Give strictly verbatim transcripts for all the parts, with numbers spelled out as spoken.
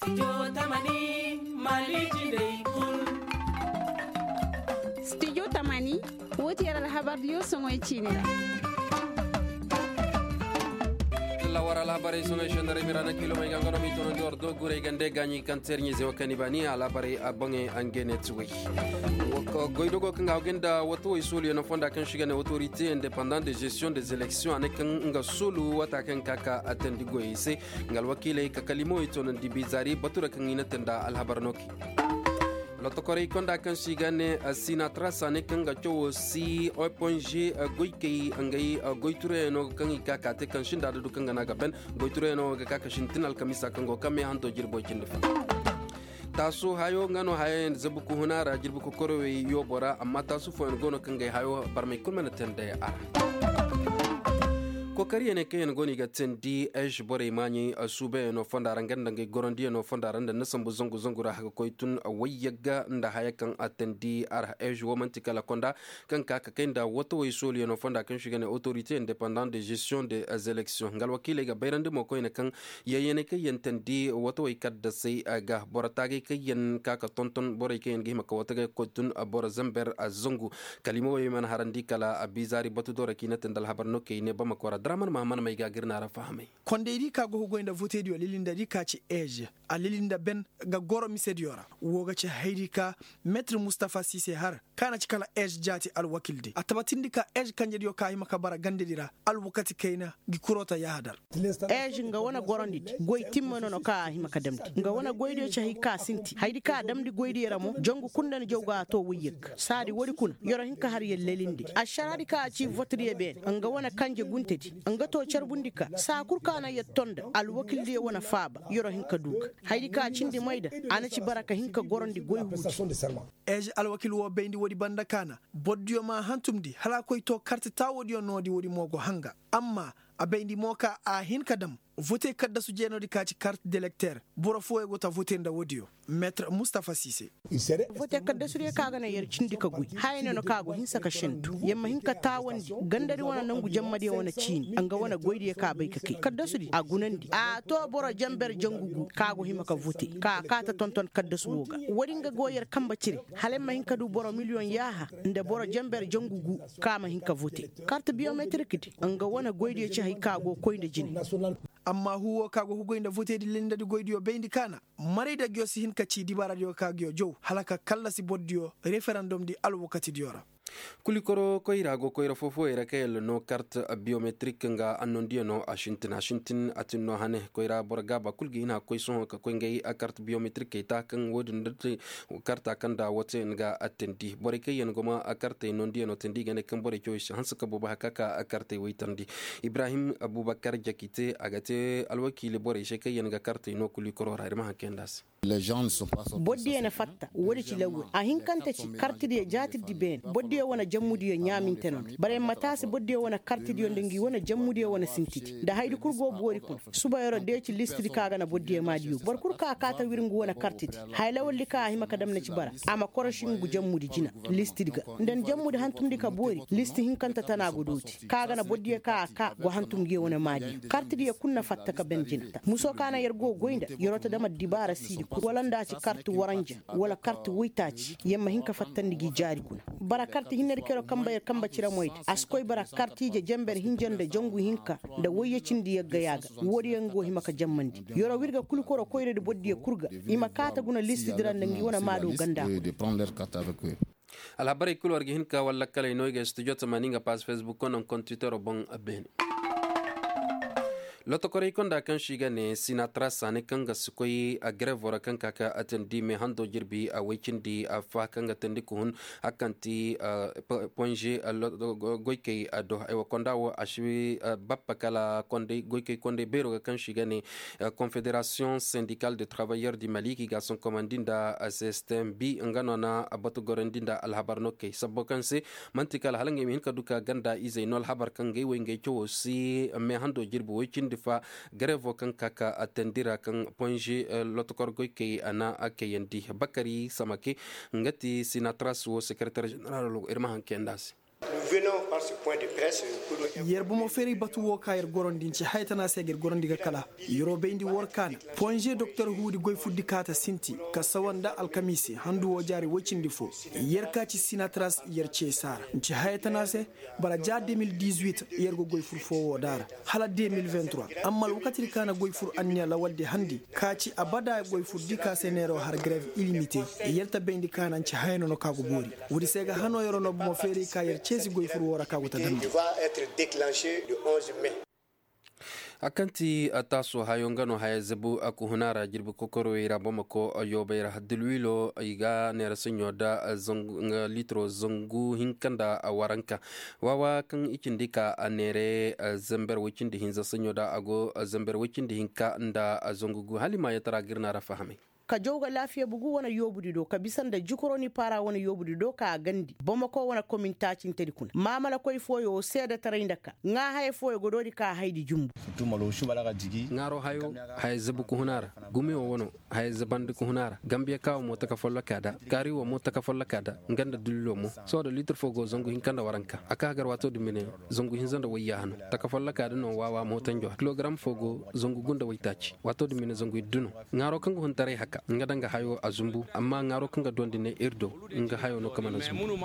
Studio tamani, wo ti yer alhabar diyo soŋoy ciini ra. Lawar alhabarey soŋoy sendaray mira na kilomey ga nga no mi tono ndi war do guray gande gaɲi kaŋ terɲe zewa kani bani alhabarey a boŋey a ngene ti way. Goydogo kaŋ ga hawgay nda wata way soluyo no fonda kaŋ si ga ne autorité indépendant de gestion des élections a ne kaŋ nga solu wata kaŋ ka ka a tandi goyey se. Nga alwakiiley ka kalimo i toonandi bizaari batura kaŋ i na te nda alhabar no kay. Lotokorey konda kaŋ se i ga ne sinatra saane kaŋ ga cawo si oponge goykey ngey goyturayano kaŋ i ka ka te kaŋ sinda da du kaŋ ga na ga ben. Goyturayano ga ka ka sintin alkamisa kaŋ go kaŋ me hando jirbo cindi fo. Taasu hayo nga no hayo yaŋ zabu ka huna ra jirbi kokorowey yoobo ra amma taasu fooyaŋ go no kaŋ gay hayo barmey kulu mana te nda a ra. Kokariyane kaŋ yaŋ go no i ga teendi eš borey maaɲey suubayano fonda ra nga nda ngey gorondiyano fonda ra nda na sambu zangu zangu ra haka koy tun wayyagga nda haya kaŋ a teendi a ra eš wo man'ti kala konda kaŋ ka ka kay nda watawey sooliyano fonda kaŋ se i ga ne autorité indépendant de gestion des élections nga alwakiiley ga bayrandi mo koyne kaŋ yayyaney kaŋ yaŋ teendi watawey kaddasey ga boro taagay kaŋ yaŋ ka ka tonton borey kaŋ yaŋ ga hima ka watagay ga koy tun boro zamber zangu. Kalimawey mana harandi kala bizaari batu doora kaŋ i na te nda alhabar no kaŋ i ne bamako ra draman mahaman may ga ga ir na ra fahamay. Kondey di ka go ga goy nda votediyo lilindadi ka ci ej a lilinda ben ga goro misediyo ra. Wo ga ci haydi ka metre mustafa sise har ka na ci kala ej jaati alwakildi a tabatindi ka ej kanjediyo ka hima ka bara gandedi ra alwakati kayna. Gi kurota yahadar. Ej nga wane gorondidi goy timme no no ka a hima ka damndi nga wane goydiyo ci hay ka sinti haydi ka a damndi goydiyo ra mo jangu kul nda ni jaw ga a to wayyag. Saadi woodi kuna yoro hin ka har yer lelindi ašaraadi ka a ci votediyo beene nga wane kanje guntedi nga to carbundi ka saa kul ka na yer to nda alwakildiyo wane faaba yoro hin ka du ga. Haydi ka a cindi mayda a na ci bara ka hin ka gorondi goy huudi. Ej alwakil wo bayndi woodi banda ka na borodiyo ma a hantumndi hala a koy to karti taawoodiyo noodi woodi mo go hanga. Amma a bayndi mo ka a hin ka dam vote kaddasu jeenoodi ka ci kart delekter boro fooyo go ta vote nda woodiyo. Metre mustafa sise. Vote kaddasudiyo ka ga na yer cindi ka goy haya ne no ka go hinsa ka sentu yer ma hin ka taawandi gandadi wane nangu jammadiyo wane ciini nga wane goydiyo ka bay ka kay kaddasudi a gunandi a to boro jamber jangu gu ka go hima ka vote ka kaata tonton kaddasu wo ga. Woodi nga go yer kambe cire hala yer ma hin ka du boro miliyoŋ yaaha nda boro jamber jangu gu ka ma hin ka vote. Kart biyometrik di nga wane goydiyo ci hay ka go koy nda jine. Amma huu wo ka go ga goy nda voteedi lindadi goydiyo bayndi ka na maray da nguyo si hin ka ci dibaaradiyo ka nguyo jaw hala ka kallasi borodiyo referandom di alwakatidiyo ra. Kulikoro koyra go koyra foo-fooyey ra kaŋ yalla no kart biyometrik nga annondiyano a sintin a sintin a tin no hane koyra boro gaaba kul ga hin a ga koy sohõ ka koy ngey kart biyometrikey ta kaŋ wo-din da te karta kaŋ nda wooteyaŋ ga a teendi borey kaŋ yaŋ go ma kartey nondiyano teendi i ga ne kaŋ borey cawey si hanse ka boobo hari ka ka kartey woy teendi. Ibrahim abubakar jakite a ga te alwakiili borey se kaŋ yaŋ ga kartey no kulikoro ra ir ma haŋ kayandi a se. Bordiyo na fatta woodi ci lawwey a hinkante ci kartidiyo jaatirdi beene bordiyo wane jammudiyo ɲaaminte no nda bara yer ma taasi bordiyo wane kartidiyo nda ngi wane jammudiyo wane sintidi nda hayadi kul go boori kuna. Suba yer'o deeci listidi ka ga na bordiyo maadiyo boro kul ka a kaata wir ngu wane kartidi haya lawaldi ka a hima ka dam na ci bara a ma korosi ngu jammudi jina. Listidi ga nda ni jammudi hantumndi ka boori listi hinkante tana go dooti ka ga na bordiyo ka a ka go hantum ngi wane maadiyo kartidiyo kul na fatta ka ben jina. Muso ka na yer go goy nda yer'o ta dam addibaara siidi kul wala nda a ci karti waranja wala karti woytaaci yer ma hin ka fattandi gi jaari guna. Bara karti hinnedi kaŋ yer'o kamba yer kamba ciramoydi a si koy bara kartiije jamber hinja nda jangu hinka nda woyye cindi yagga yaaga. Woodiyo nga go hima ka jammandi yer'o wirga kul koro koyradi bordiyo kul ga i ma kaata guna listidi ra nda ngi wane maado ganda. Alhabarey kul war ga hin ka walla kaley no i ga studio tamani nga pass facebook kono nkontitero boŋ. Beene lotokorey konda kaŋ se i ga ne sinatra saani kaŋ ga si koy grevo ra kaŋ ka ka a teendi me hando jirbi a woy cindi affa kaŋ ga teendi ka hun hari kaŋ ti ponze goykey do aywa konda wo a si bappa kala goykey kondey beero ga kaŋ se i ga ne confederation sindikal de travailleur di mali kaŋ i ga a sonkomandi nda system bi nga no na batu gorandi nda alhabar no kay sabbo kaŋ se man'ti kala hala ngey ma hin ka du ka ganda izey no alhabar kaŋ ngey wo ngey cawo si me hando jirbi woy cindi fa. Garevo kaŋ ka ka a teendi ra kaŋ ponze lotokor goykey a na a kayandi bakari samake nga ti sinatras wo sekretar jeneral wo ir ma haŋ kayandi a se. Yer bomo feeray batu wo ka yer gorandi nci haya tana se ga yer gorandi ga kala. Yer'o bayndi war kaana ponže doktor huudi goy furdi kaata sinti ka sawa nda alkamiisi handu wo jaari woy cindi fo. Yer ka ci sinatras yer cee saara nci haya tana se. Bara ja de mil dizuit yer go goy fur fo wo daara hala de mil vingt-trois. Amma alwakati di kaana goy fur anniya lawaldi handi ka ci abada goy furdi ka se neeroo har grev ilimite. Yer ta bayndi kaana nci haya nono ka go boori. Woodi se ga hanoo yer'o no bomo feeray ka yer ceesi goy fur wo ra ka go ta damndi. A kaŋ ti taaso hayo nga no haya zabu a kuhuna ra jirbi kokorowey ra bamako yoobay ra dilwilo i ga neera saɲo da litiro zangu hinka nda waranka. Wawa kaŋ i cindi ka a neere zamber way cindi hinza saɲo da a go zamber way cindi hinka nda zangu gu hala i ma yatara ga ir na ra fahamay. Ka jaw ga laafiya bugu wane yoobudi do ka bisa nda jukuroni paara wane yoobudi do ka a gandi bamako wane komin taacintedi kuna maamalakoy fooyo seedetaray nda ka ŋaa haya fooyo ga doodi ka a haydi jumbu. Ŋaaro hayo haya zabu ka huna ra. Gumiyo wano haya zabandi ka huna ra gambiya ka wo mo taka folloka da kaari wo mo taka folloka da nga nda dulilo mo. Sohõ da litir fo go zangu hinka nda waranka a ka hagar waato din bine. Zangu hinza nda wayya hano taka folloka da no waawa mootanjo kilogaram fo go zangu gu nda waytaaci waato din bine zangu iddu no. Ŋaaro kaŋ ga huntaray haka nga daŋ ga hayo a zumbu amma ŋaaro kaŋ ga duwandi ne ir do. Nga hayo no ka mana zumbu.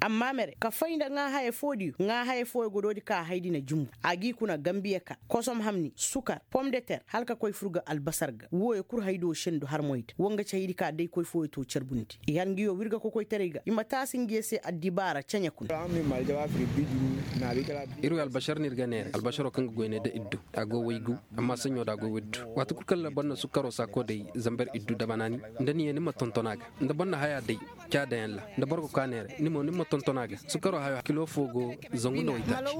Amma mere ka fay nda ŋaa haya fo diyo ŋaa haya fooyo ga doodi ka a haydi na jumbu a g'i kuna gambiya ka kosom hamni sukar pom de ter hala ka koy fur ga albasar ga wooyo kul haydo sendu harmoy da wo nga ci haydi ka day koy fooyo to carbundi i har ngiyo wirga kokoytaray ga i ma taasi ngiyo se addibaara ceɲe kuna. Ir wi albasar no ir ga neera albasaro kaŋ ga goy ne da iddu a go waygu. Amma saɲo da a go waydu waati kul kaŋ ra boro na sukaro saako day zamber iddu dabanaani nda ni ye ni ma tonton a ga nda boro na haya day. Ca dayaŋ ra nda boro ga koy a neera ni mo ni ma tonton a ga sukaro hayo kilo fo go zangu nda waytaaci.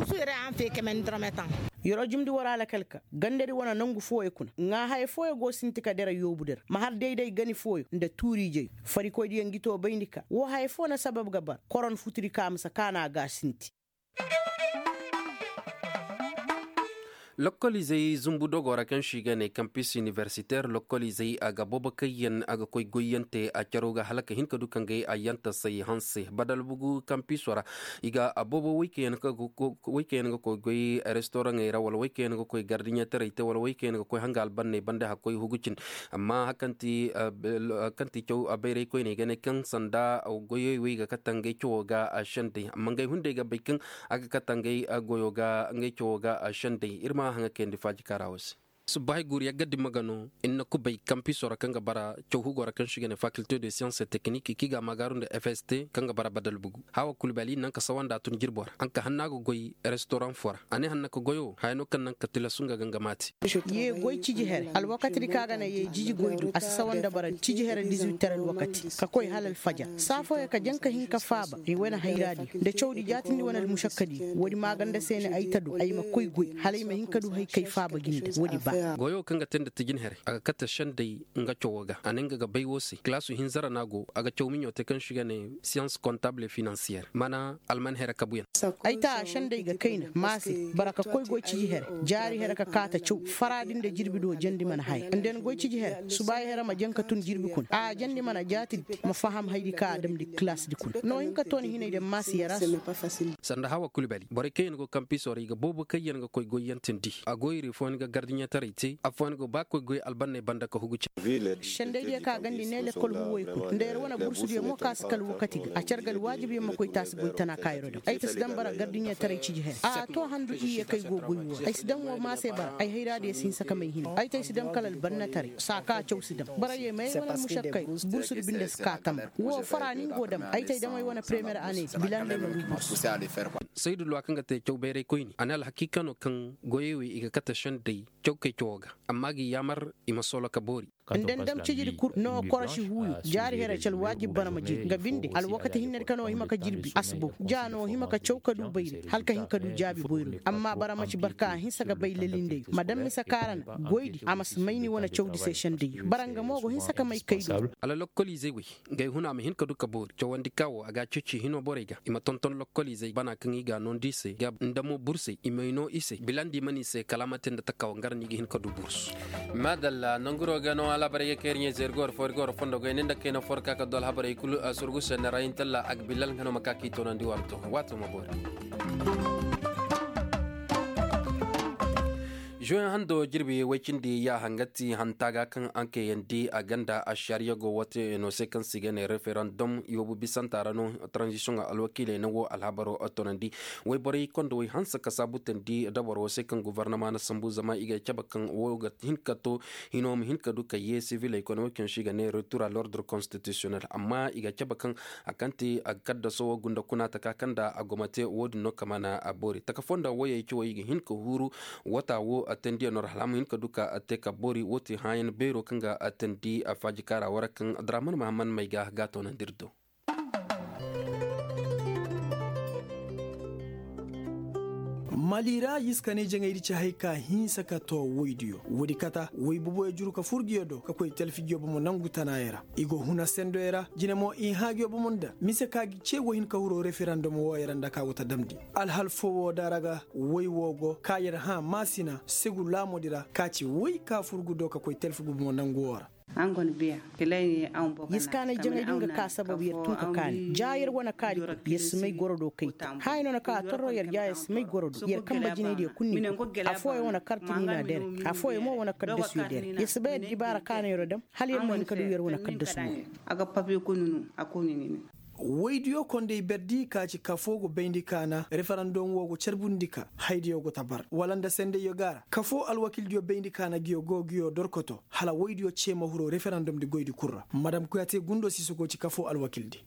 Yer'o jumndi war alakal ka gandadi wane nangu fooyo kuna ŋaa haya fooyo go sinti ka dira yoobu dira ma har day-day gani fooyo nda tuuriijey. Farikoydiyo ngi too bayndi ka woo haya foo na sabab ga bara koron futudi ka a ma si kaanu a ga a sinti. Lokkoliizey zumbu dogoo ra kaŋ se i ga ne kampis iniversiteer lokkoliizey a ga boobo kaŋ yaŋ a ga koy goyyaŋ te a caro ga hala ka hin ka du ka ngey ayyantasey hanse badalbugu kampiso ra. I ga a boobo woy kaŋ yaŋ ga koy goy restoraŋey ra wala woy kaŋ yaŋ ga koy gardiɲetaray te wala woy kaŋ yaŋ ga koy hanga albanney banda hakkoy hugu cin. Amma kaŋ ti caw bayraykoyney ga ne kaŋ sanda goyey wey ga kate ngey cawo ga sendey amma ngey hunday ga bay kaŋ a ga kate ngey goyo ga ngey cawo ga sendey ir ma haŋa kayandi faaji kaara wo se. Subbahay guuru yagga dimma ga no ir na kubay kampiso ra kaŋ ga bara caw hugo ra kaŋ se i ga ne fakilte de siyans et teknik kaŋ i ga a maagaaru nda fst kaŋ ga bara badal bugu. Hawa kulbali naŋ ka sawanda tun jirbo ra a na ka hanna ga goy restoran fo ra a ne hanna ka goyo haya no kaŋ naŋ ka tilasu nga ga nga maati. Ye goy ciji here alwakati di kaŋ a ga naŋ ye jiji goy do a si sawa nda bara ciji here dizuwit tere alwakati ka koy hala alfajar saa fooyaŋ ka jaŋ ka hin ka faaba i wane hayraadiyo nda cawdi jaatindi wane almušakkadiyo woodi maaganda se ne ay ta du ay ma koy goy hala ay ma hin ka du hay kay faaba ga nda woodi ba. Goyo kaŋ ga te nda tijin here a ga kate sendey nga cawo ga a ne nga ga bay wo se kilaasu hinza ra no a go a ga caw miɲo te kaŋ se i ga ne siyans kontabul finansiyer mana alman here kabuyaŋ. Ay ta a sendey ga kayna maase bara ka koy goy ciji here jaari here ka kaata caw faraadi nda jirbi do jandi mana haya nda ni goy ciji here subaayi here ma jaŋ ka tun jirbi kuna a jandi mana jaatidi ma faham haydi ka a damndi kilaasdi kuna no hin ka tooni hinay nda maase yara se. Sanda hawa kulbali borey kaŋ yaŋ go kampiso ra i ga boobo kaŋ yaŋ ga koy goyyaŋ tindi a goyri fooyaŋ ga gardiɲetaray te afooyaŋ go ba koy goy albanney banda ka hugu cindi. Sendaydiyo ka gandi ne lekkol huuwey kul nda yer wane bursudiyo mo ka si kala wakati ga a care ga alwaajibyaŋ ma koy taasi goy tana ka yer'o daŋ ay ta si daŋ bara gardiɲetaray ciji here a to handu iyye kay go goy wo ra ay si daŋ wo maase bara ay hayraadiyo si hinsa ka may hina ay ta ay si daŋ kala albannataray saa ka caw si daŋ borey ma ay wane almušakkay bursudi binde si ka tamba wo fara ni nga go daŋ ay ta ay daŋ ay wane premiyer ane bila nda ay ma du bursu. Saydu luwa kaŋ ga te caw bayraykoyni a ne alhakiika no kaŋ goyey wey i ga kate sendey caw kay cawo ga amma a ga i yaamar i ma solo ka boori. Nda ni dam cijidi kul no koroši huuyo jaari here ci alwaajib bara ma jiri nga binde alwakati hinnedi kaŋ no hima ka jirbi a si bow ja no hima ka caw ka du bayray hala ka hin ka du jaabi boyro amma bara ma ci barka a hinsa ga bay lalindeyo ma dam mise kaara na goydi a ma si may ni wane cawdi se sendeyo bara nga mo go hinsa ka may kay do. Hala lokkoliizey wey ngey huna ma hin ka du ka boori cawandi ka wo a ga a ceeci hino borey ga i ma tonton lokkoliizey bana kaŋ i ga a noondi i se nda mo bursey i may noo i se bilandi mana i se kala a ma te nda taka wo nga ra no i ga hin ka du bursu. Maadalla nanguro ga no. Alhabarey ga kay ir ɲayze ir ga war fo ir ga war fondo goy ni nda kayna fo ir ka ka du alhabarey kulu. Surgu senne ra intalla agbilal nga no ma ka k'i toonandi war to waato ma boori. Zuwen hando jirbi way cindi ya hangati hanta ga kaŋ ankeyandi a ganda ašariya go wate no se kaŋ se i ga ne referandom iwobu bisanta ra no. Tranzisiyoŋ alwakiiley na wo alhabaro toonandi wayborey kondo way hanse ka saabutandi dabaro se kaŋ govornoma na sambu zama i ga cabe kaŋ wo ga hin ka to hino ma hin ka du ka ye siviley kone wo kaŋ se i ga ne retur a l'ordre konstitisiyonel amma i ga cabe kaŋ a kaŋ te a kaddaso wo gunda kuna taka kaŋ nda a gomate wo- din no kama na a boori taka fo nda woyey cawey i ga hin ka huuru wata wo a tandiyaŋ no ra hala a ma hin ka du ka a te ka boori wo te hãayan beero kaŋ ga a tandi a faajikaara wara kaŋ draman mahamman may ga ga toonandi ir do. Mali ra yiskaney jaŋaydi ci hay ka hinsa ka to woydiyo woodi kata woy boboyo juru ka fur nguyo do ka koy talfijiyo bomo nangu tanaayey ra. I go huna sendoyey ra jine mo i hã nguyo bomo nda mise ka gi ce go hin ka huro referandom wooyey ra nda ka go ta damndi. Alhal foo woo da ra ga woy woo go ka yer hã maasina segu laamoodi ra ka ci woy ka fur ngu do ka koy talfi ngu bomo nangu woo ra. Yiskaanay jaŋay din ga ka sababu yer tun ka kaani ja yer wane kaari kul yer si may goro do kay te. Haya no na ka a torro yer ja yer si may goro do yer kamba jinaydiyo kul ni kul. Afooyaŋ wane karti ni na dere. Afooyaŋ mo wane kaddasuyo dere yer si bay addibaara kaana yer dam hala yer ma hin ka du yer wane kaddasu wo. Woydiyo kondey berdi ka ci kafoo go bayndi kaana referandom woo go carbundi ka haydiyo go ta bar wala nda sendayyo go a ra kafoo alwakildiyo bayndi kaana nguyo go nguyo dorkoto hala woydiyo cee ma huru referandom di goydi kul ra madam kuyate gundo si sogo ci kafoo alwakildi.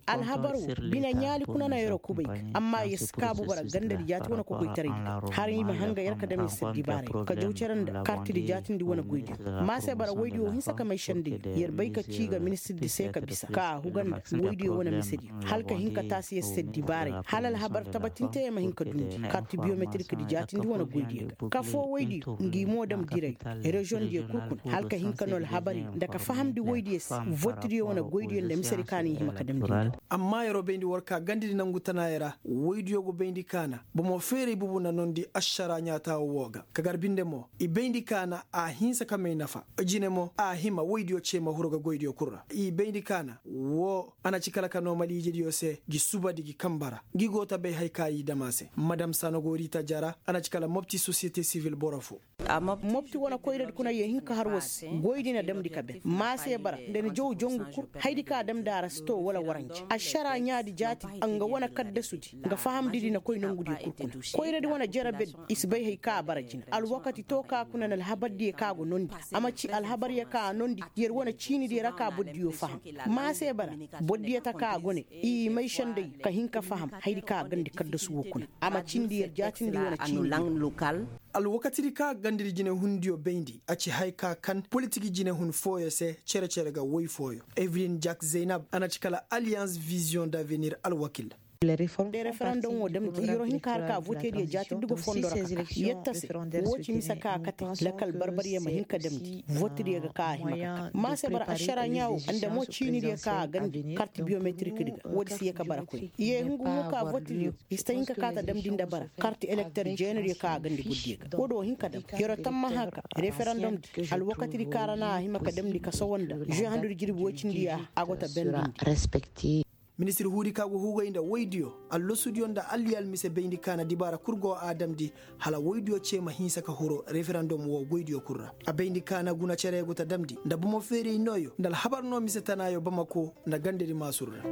Alhabar wo bine ɲaali kuna na yeroo kubay ga amma yer si kaabu bara gandadi jaati wane kokoytaraydi ga hala i ma hanga yer ka dam yer si addibaarey ka jaw cere nda kartidi jaatindi wane goydiyo. Ma se bara woydiyo hinsa ka may sendayyo yer bay ka cii ga ministirdi se ka bisa ka a huga nda woydiyo wane misediyo hala ka hin ka taasi yer si addibaarey hala alhabar tabatinte yer ma hin ka dundi karti biyometrik di jaatindi wane goydiyo ga kafoo woydiyo ngi mo dam diray reziyoŋ diyo kul kuna hala ka hin ka noo alhabari nda ka fahamndi woydiyo se votdiyo wane goydiyo nda misedi ka no i hima ka damndi nda. Amma yeroo bayndi war ka gandadi nangu tanaayey ra woydiyo go bayndi kaana bomo feeray bubu na noondi ašaraa ɲaataawo woo ga ka gar binde mo i bayndi kaana a hinsa ka may nafa jine mo a hima woydiyo cee ma huru ga goydiyo kul ra i bayndi kaana woo a na ci kala ka noo maliijediyo se gi subadi gi kamba ra ngi go ta bay haya ka i dam a se madam sanogorita jara a na ci kala mopti sosiyete sivil boro foo. Mopti wane koyradi kuna yee hin ka har war se goydi na damndi ka ben ma se bara nda ni jaw jongu kul hayadi ka a damndi a ra si too wala waranje ašaraa ɲaadi jaatidi nga wane kaddasudi nga fahamdidi na koy nongudiyo kul kuna koyradi wane jere berdi i si bay haya ka a bara jina alwakati too ka kuna na alhabardiyo ka a go noondi a ma ci alhabaryo ka a noondi yer wane ciinidiyo ra ka bordiyo faham ma se bara bordiyo ta ka a go ne i may senday ka hin ka faham hayadi ka a gandi kaddasu woo kuna a ma cindi yer jaatindi wane ciinidiyo. Alwakatidi ka gandadi jinehundiyo bayndi a ci haya ka kan politik jinehun fooyo se cere-cere ga woy fooyo evelin jak zaynab a na ci kala aliyans viziyoŋ d'avenir alwakil. Referandom woo damndi yeroo hin ka har ka votediyo jaatindi go fondo ra ka ka yer ta se woo ci mise ka a kate lakal barbaryo ma hin ka damndi votediyo ga ka a hima ka kate ma se bara ašaraa ɲaa woo nda mo ciinidiyo ka a gandi karti biyometrikdi ga woodi si yee ka bara koy yee hungu mo ka votediyo i si ta hin ka ka ta damndi nda bara karti elekter jeenadiyo ka a gandi guddiyo ga woodi woo hin ka dam yeroo tammaha ka referandom di alwakatidi ka ra na a hima ka damndi ka sowo nda žuwe handudi jirbi woy cindi ya a go ta bendindi. Ministir huudi ka go hugay nda woydiyo allasudiyo nda alliyal mise bayndi kaana dibaara kul go a damndi hala woydiyo cee ma hinsa ka huru referandom woo goydiyo kul ra a bayndi kaana guna cere go ta damndi nda bomo feeray nooyo nda alhabar noo mise tanaayo bamako nda gandadi maasur ra.